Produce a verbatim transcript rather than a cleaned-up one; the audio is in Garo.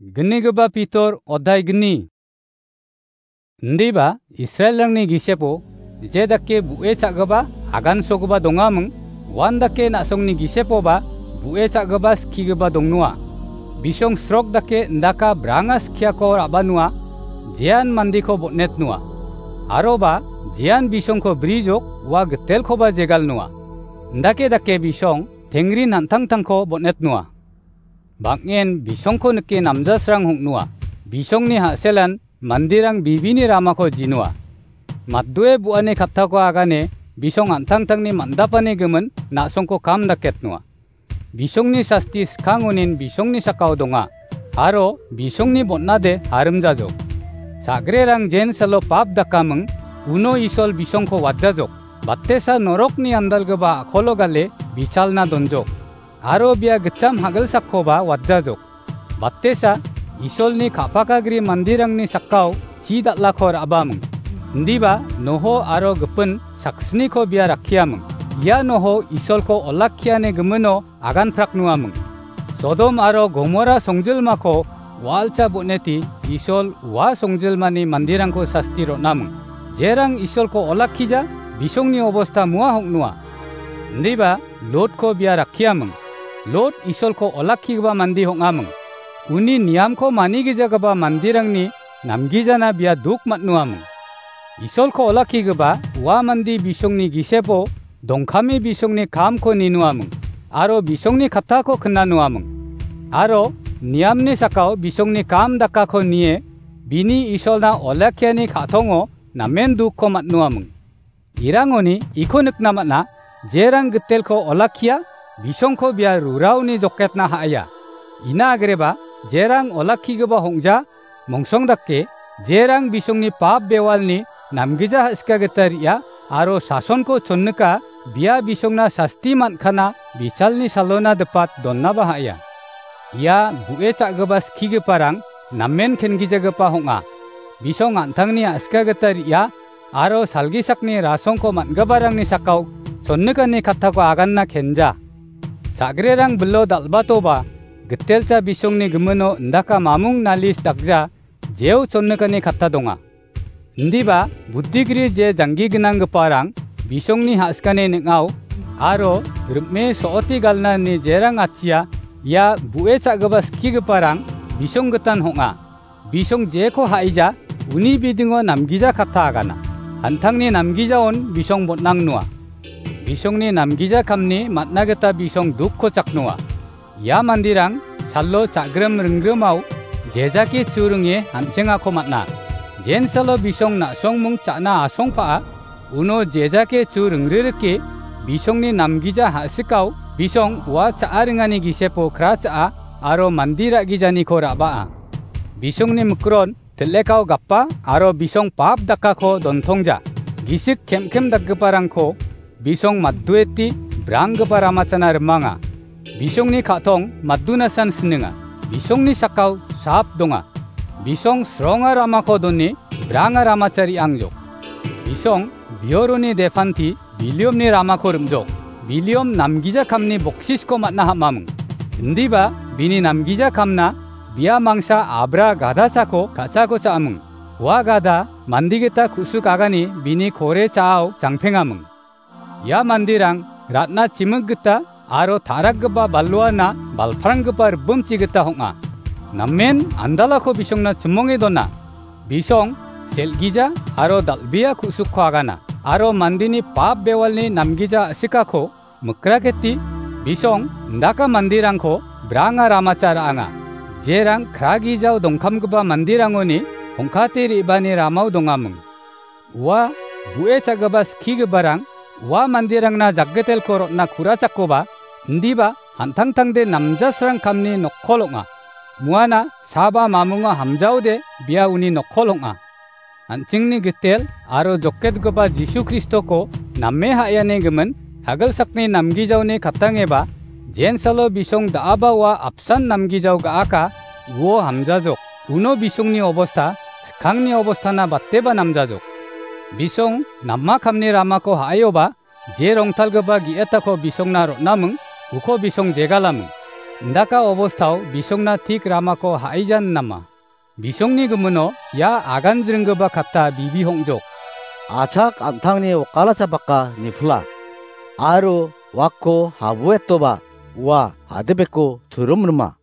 Gnigipa Pitor odai gni. Indiba Israelrangni gisepo je dake bu·e cha·gipa agansogipa dongaming, uan dake na·songni gisepoba bu·e cha·gipa skigipa dongnoa. Bisong srok dake indaka branga skiako ra·banoa, jean mandiko botnetnoa. Aroba jean bisongko brijok ua gitelkoba jegalnoa. Indake dake bisong tengrin an·tangtangko botnetnoa. Bang·en bisongko nike namjasrang hong·noa. Bisongni ha·selan manderang bibini ramako jinoa. Matdoe bu·ani kattako agane bisong an·tangtangni man·dapani gimin na·songko kam daketnoa. Bisongni sasti skangonin bisongni sakao donga, aro bisongni botnade harimjajok. Sagrerang jensalo pap dakaming, uno Isol bisongko watjajok. Batesa norokni andalgipa a·kolo gale bichalna donjok. Aro bia gitcham hagilsakkoba watjajok. Batesa Isolni ka·pakagri manderangni sakao chi dal·ako ra·baming. Indiba Noho aro gipin saksniko bia rakkiaming. Ia Noho Isolko olakkiani gimino aganpraknoaming. Sodom aro Gomora songjilmako walcha boneti Isol ua songjilmani manderangko sasti ron·aming. Jerang Isolko olakkija, bisongni obosta mua hong·noa. Indiba Lotko bia rakkiaming. Lot Isolko olakkigipa mande hong·aming. Uni niamko manigijagipa manderangni namgijana bia duk man·noaming. Isolko olakkigipa ua mande bisongni gisepo dongkame bisongni kamko ninoaming, aro bisongni kattako knanoaming. Aro niamni sakao bisongni kam dakako nie bini Isolna olakkiani ka·tongo namen dukko man·noaming. Irangoni iko nikna man·a, jerang gitelko olakkia, bisongko bia ruraoni joketna ha·aia. Ina agreba, jerang olakkigipa hong·ja, mongsong dake, jerang bisongni pap bewalni namgija ha·sika gita re·a, aro sasonko chonnika, bia bisongna sasti man·kana, bichalni salona dipat donnaba ha·aia. Ia bu·e cha·gipa skigiparang namen kengijagipa hong·a. Bisong an·tangni ha·sika gita re·a, aro salgisakni rasongko man·giparangni sakao chonnikani kattako aganna kenja. Sagrerang bilo dal·batoba, gitelcha bisongni gimino indaka mamung nalis dakja, jeo chonnikani katta donga. Indiba, buddigri je janggi gnanggiparang bisongni ha·skani ning·ao, aro rim·e so·oti galna ine jerang achia, ia bu·e cha·gipa skigiparang bisong gitan hong·a. Bisong jeko ha·ija, uni bidingo namgija katta agana. An·tangni namgijaon bisong bon·angnoa. Bisongni namgija kamni man·na gita bisong dukko chaknoa. Ia manderang salo cha·grim ringgrimao jejake churinge an·chengako man·a. Jensalo bisong na·songming cha·na asongpa·a, uno jejake chu ringririke bisongni namgija ha·sikao bisong ua cha·a ringani gisepo kra cha·a aro mande ra·gijaniko ra·baa. Bisongni mikron til·lekao gapa aro bisong pap dakako dontongja. Gisik kem·kem dakgiparangko bisong maddueti branggipa ramachana rimanga. Bisongni ka·tong maddunasan sininga. Bisongni sakao sap donga. Bisong sronga ramako doni branga ramacha re·angjok. Bisong bioroni depanti Biliomni ramako rim·jok. Biliom namgija kamni boksisko man·na ham·aming. Indiba bini namgija kamna bia mangsa abra gadachako ka·chako cha·aming. Ua gada mande gita ku·suk agani bini kore cha·ao jangpengaming. Ia manderang ratna chimik gita aro ta·rakgipa baluana balpranggipa ribimchi gita hong·a. Namen andalako bisongna chimonge dona. Bisong sel·gija aro dal·bea ku·sukko agana, aro mandeni pap bewalni namgija a·sikako mikraketi, bisong indaka manderangko branga ramacha ra·anga. Jerang kragijao dongkamgipa manderangoni hongkate re·bani ramao dongaming. Ua bu·e cha·gipa skigiparang ua manderangna jakgetelko rotna kurachakoba, indiba an·tangtangde namjasrang kamni nokkol ong·a. Muana saba mamunga hamjaode bia uni nokkol ong·a. An·chingni gitel aro joketgipa Jisu Kristoko name ha·iani gimin hagilsakni namgijaoni katangeba, jensalo bisong da·aba ua apsan namgijao ga·aka, uo hamjajok. Uno bisongni obosta skangni obostana bateba namjajok. Bisong nama kamni ramako ha·aioba, je rongtalgipa ge·etako bisongna ron·aming, uko bisong jegalaming. Indaka obostao bisongna tik ramako ha·ijan nama. Bisongni gimino ia agan jringgipa katta bibi hong·jok. Achak an·tangni wakalacha baka nifila, aro wakko habuetoba ua hadebeko turum rima.